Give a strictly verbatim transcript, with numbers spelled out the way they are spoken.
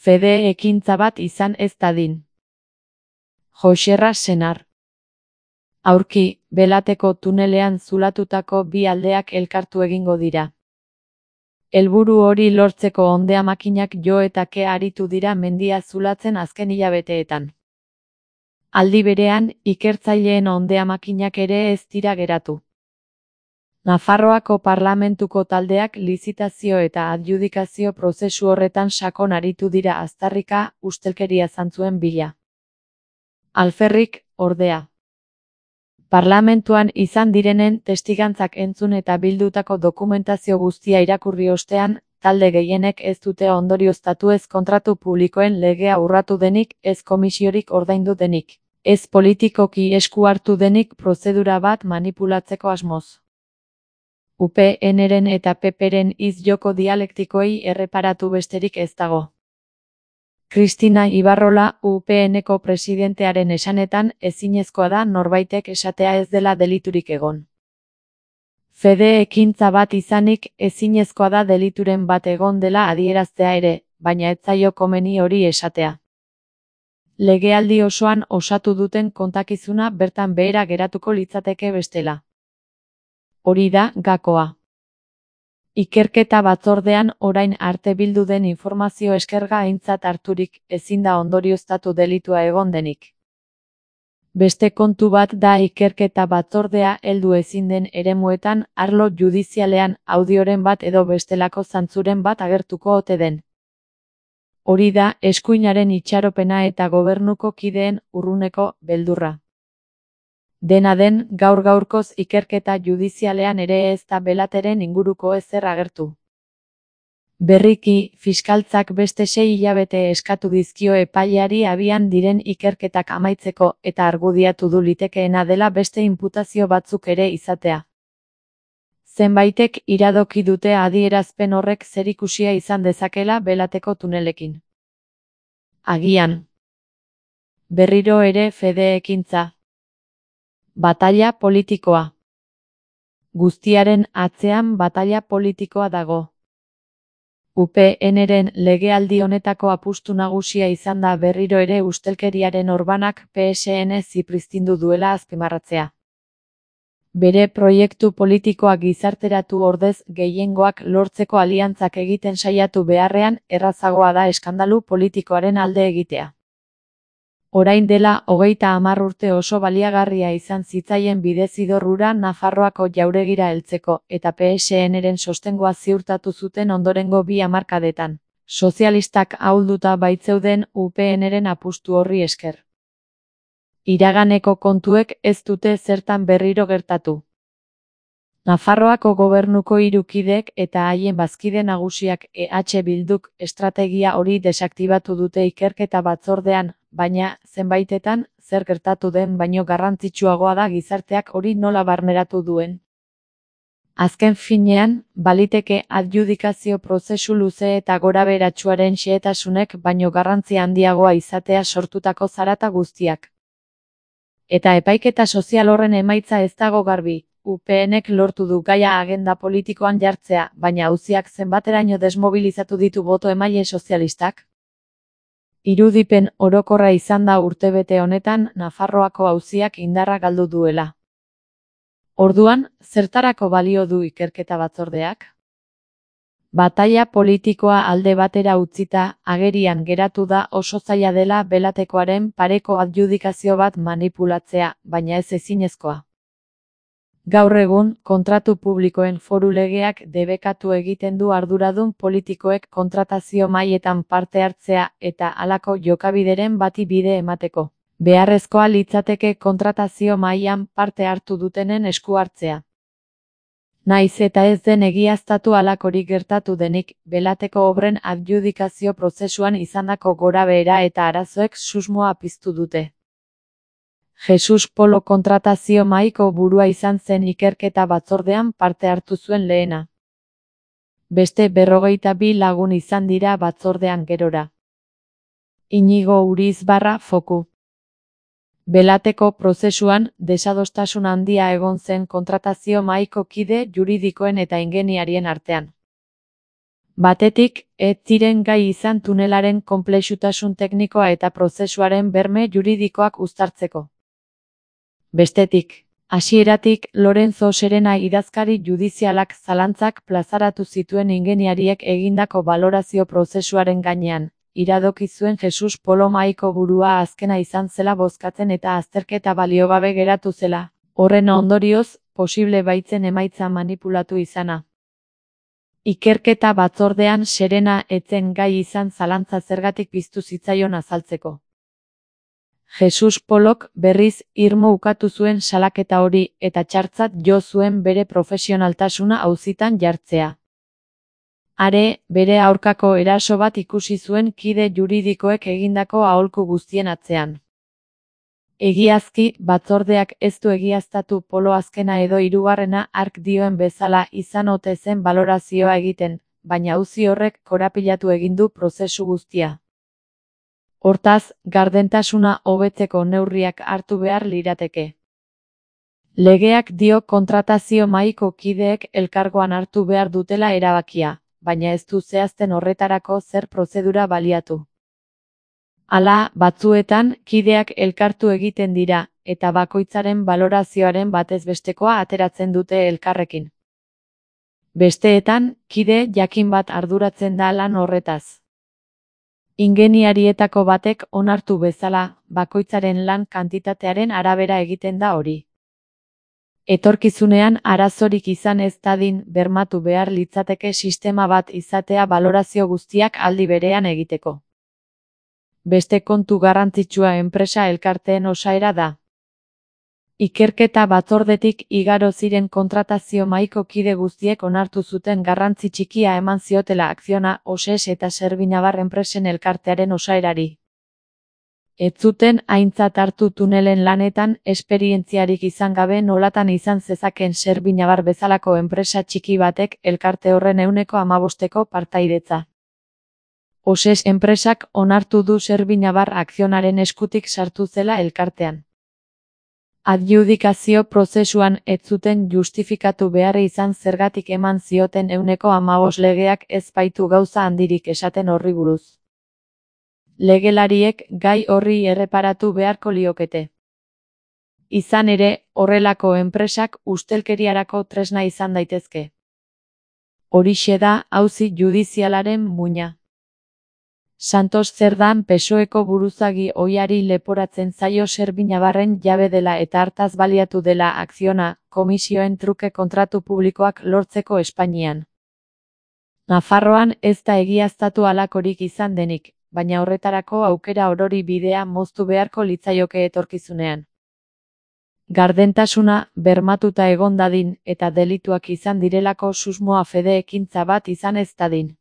Fede ekintza bat izan ez dadin. Joxerra Senar. Aurki, Belateko tunelean zulatutako bi aldeak elkartu egingo dira. Helburu hori lortzeko hondea makinak jo eta ke aritu dira mendia zulatzen azken hilabeteetan. Aldi berean, ikertzaileen hondea makinak ere ez dira geratu. Nafarroako parlamentuko taldeak lizitazio eta adjudikazio prozesu horretan sakon aritu dira aztarrika ustelkeria zantzuen bila. Alferrik, ordea. Parlamentuan izan direnen testigantzak entzun eta bildutako dokumentazio guztia irakurri ostean, talde gehienek ez dute ondorioztatu ez kontratu publikoen legea urratu denik, ez komisiorik ordaindu denik, ez politikoki esku hartu denik prozedura bat manipulatzeko asmoz. U P N-ren eta P P-ren hitz joko dialektikoei erreparatu besterik ez dago. Kristina Ibarrola, U P N-ko presidentearen esanetan, ezinezkoa da norbaitek esatea ez dela deliturik egon. Fede ekintza bat izanik, ezinezkoa da delituren bat egon dela adieraztea ere, baina ez zaio komeni hori esatea. Legealdi osoan osatu duten kontakizuna bertan behera geratuko litzateke bestela. Hori da gakoa. Ikerketa batzordean orain arte bildu den informazio eskerga aintzat harturik, ezin da ondorioztatu delitua egon denik. Beste kontu bat da ikerketa batzordea heldu ezin den eremuetan, arlo judizialean, audioren bat edo bestelako zantzuren bat agertuko ote den. Hori da eskuinaren itxaropena eta gobernuko kideen urruneko beldurra. Dena den, gaur-gaurkoz ikerketa judizialean ere ez da Belateren inguruko ezer agertu. Berriki, fiskaltzak beste sei hilabete eskatu dizkio epaileari abian diren ikerketak amaitzeko eta argudiatu du litekeena dela beste inputazio batzuk ere izatea. Zenbaitek iradoki dute adierazpen horrek zerikusia izan dezakela Belateko tunelekin. Agian. Berriro ere fede ekintza. Bataila politikoa. Guztiaren atzean bataila politikoa dago. U P N-ren legealdi honetako apustu nagusia izan da berriro ere ustelkeriaren orbanak P S N zipriztindu duela azpimarratzea. Bere proiektu politikoa gizarteratu ordez gehiengoak lortzeko aliantzak egiten saiatu beharrean errazagoa da eskandalu politikoaren alde egitea. Orain dela hogeita hamar urte oso baliagarria izan zitzaien bidezidor hura Nafarroako jauregira heltzeko eta P S N-ren sostengoa ziurtatu zuten ondorengo bi hamarkadetan. Sozialistak ahulduta baitzeuden U P N-ren apustu horri esker. Iraganeko kontuek ez dute zertan berriro gertatu. Nafarroako gobernuko hiru kideek eta haien bazkide nagusiak E H Bilduk estrategia hori desaktibatu dute ikerketa batzordean, baina, zenbaitetan, zer gertatu den baino garrantzitsuagoa da gizarteak hori nola barneratu duen. Azken finean, baliteke adjudikazio prozesu luze eta gorabeheratsuaren xehetasunek baino garrantzi handiagoa izatea sortutako zarata guztiak. Eta epaiketa sozial horren emaitza ez dago garbi. U P N-ek lortu du gaia agenda politikoan jartzea, baina auziak zenbateraino desmobilizatu ditu boto emaile sozialistak? Irudipen orokorra izan da urtebete honetan Nafarroako auziak indarra galdu duela. Orduan, zertarako balio du ikerketa batzordeak? Bataila politikoa alde batera utzita, agerian geratu da oso zaila dela Belatekoaren pareko adjudikazio bat manipulatzea, baina ez ezinezkoa. Gaur egun, kontratu publikoen foru legeak debekatu egiten du arduradun politikoek kontratazio mahaietan parte hartzea eta halako jokabideren bati bide emateko. Beharrezkoa litzateke kontratazio mahaian parte hartu dutenen esku hartzea. Naiz eta ez den egiaztatu halakorik gertatu denik, Belateko obren adjudikazio prozesuan izandako gorabehera eta arazoek susmoa piztu dute. Jesus Polo kontratazio mahaiko burua izan zen ikerketa batzordean parte hartu zuen lehena. Beste berrogeita bi lagun izan dira batzordean gerora. Inigo Urizbarra Foku. Belateko prozesuan, desadostasun handia egon zen kontratazio mahaiko kide juridikoen eta ingeniarien artean. Batetik, ez ziren gai izan tunelaren konplexutasun teknikoa eta prozesuaren berme juridikoak uztartzeko. Bestetik, hasieratik Lorenzo Serena idazkari judizialak zalantzak plazaratu zituen ingeniariek egindako balorazio prozesuaren gainean, iradoki zuen Jesus Polo Mahaiko burua azkena izan zela bozkatzen eta azterketa baliogabe geratu zela, horren ondorioz, posible baitzen emaitza manipulatu izana. Ikerketa batzordean Serena etzen gai izan zalantza zergatik piztu zitzaion azaltzeko. Jesus Polok berriz irmo ukatu zuen salaketa hori eta txartzat jo zuen bere profesionaltasuna auzitan jartzea. Are, bere aurkako eraso bat ikusi zuen kide juridikoek egindako aholku guztien atzean. Egiazki, batzordeak ez du egiaztatu Polo azkena edo hirugarrena hark dioen bezala izan ote zen balorazioa egiten, baina auzi horrek korapilatu egin du prozesu guztia. Hortaz, gardentasuna hobetzeko neurriak hartu behar lirateke. Legeak dio kontratazio mahaiko kideek elkargoan hartu behar dutela erabakia, baina ez du zehazten horretarako zer prozedura baliatu. Hala, batzuetan, kideak elkartu egiten dira, eta bakoitzaren balorazioaren batezbestekoa ateratzen dute elkarrekin. Besteetan, kide jakin bat arduratzen da lan horretaz. Ingeniarietako batek onartu bezala, bakoitzaren lan kantitatearen arabera egiten da hori. Etorkizunean arazorik izan ez dadin bermatu behar litzateke sistema bat izatea balorazio guztiak aldi berean egiteko. Beste kontu garrantzitsua enpresa elkarteen osaera da. Ikerketa batzordetik igaro ziren kontratazio mahaiko kide guztiek onartu zuten garrantzi txikia eman ziotela Akziona, Oses eta Serbinabar enpresen elkartearen osaerari. Ez zuten aintzat hartu tunelen lanetan esperientziarik izan gabe nolatan izan zezaken Serbinabar bezalako enpresa txiki batek elkarte horren ehuneko hamabosteko partaidetza. Oses enpresak onartu du Serbinabar Akzionaren eskutik sartu zela elkartean. Adjudikazio prozesuan ez zuten justifikatu behar izan zergatik eman zioten ehuneko hamabost legeak ez baitu gauza handirik esaten horri buruz. Legelariek gai horri erreparatu beharko liokete. Izan ere, horrelako enpresak ustelkeriarako tresna izan daitezke. Horixe da auzi judizialaren muina. Santos Zerdan P S O Eko buruzagi ohiari leporatzen zaio Serbinabarren jabe dela eta hartaz baliatu dela Akziona, komisioen truke kontratu publikoak lortzeko Espainian. Nafarroan ez da egiaztatu halakorik izan denik, baina horretarako aukera orori bidea moztu beharko litzaioke etorkizunean. Gardentasuna bermatuta egon dadin eta delituak izan direlako susmoa fede ekintza bat izan ez dadin.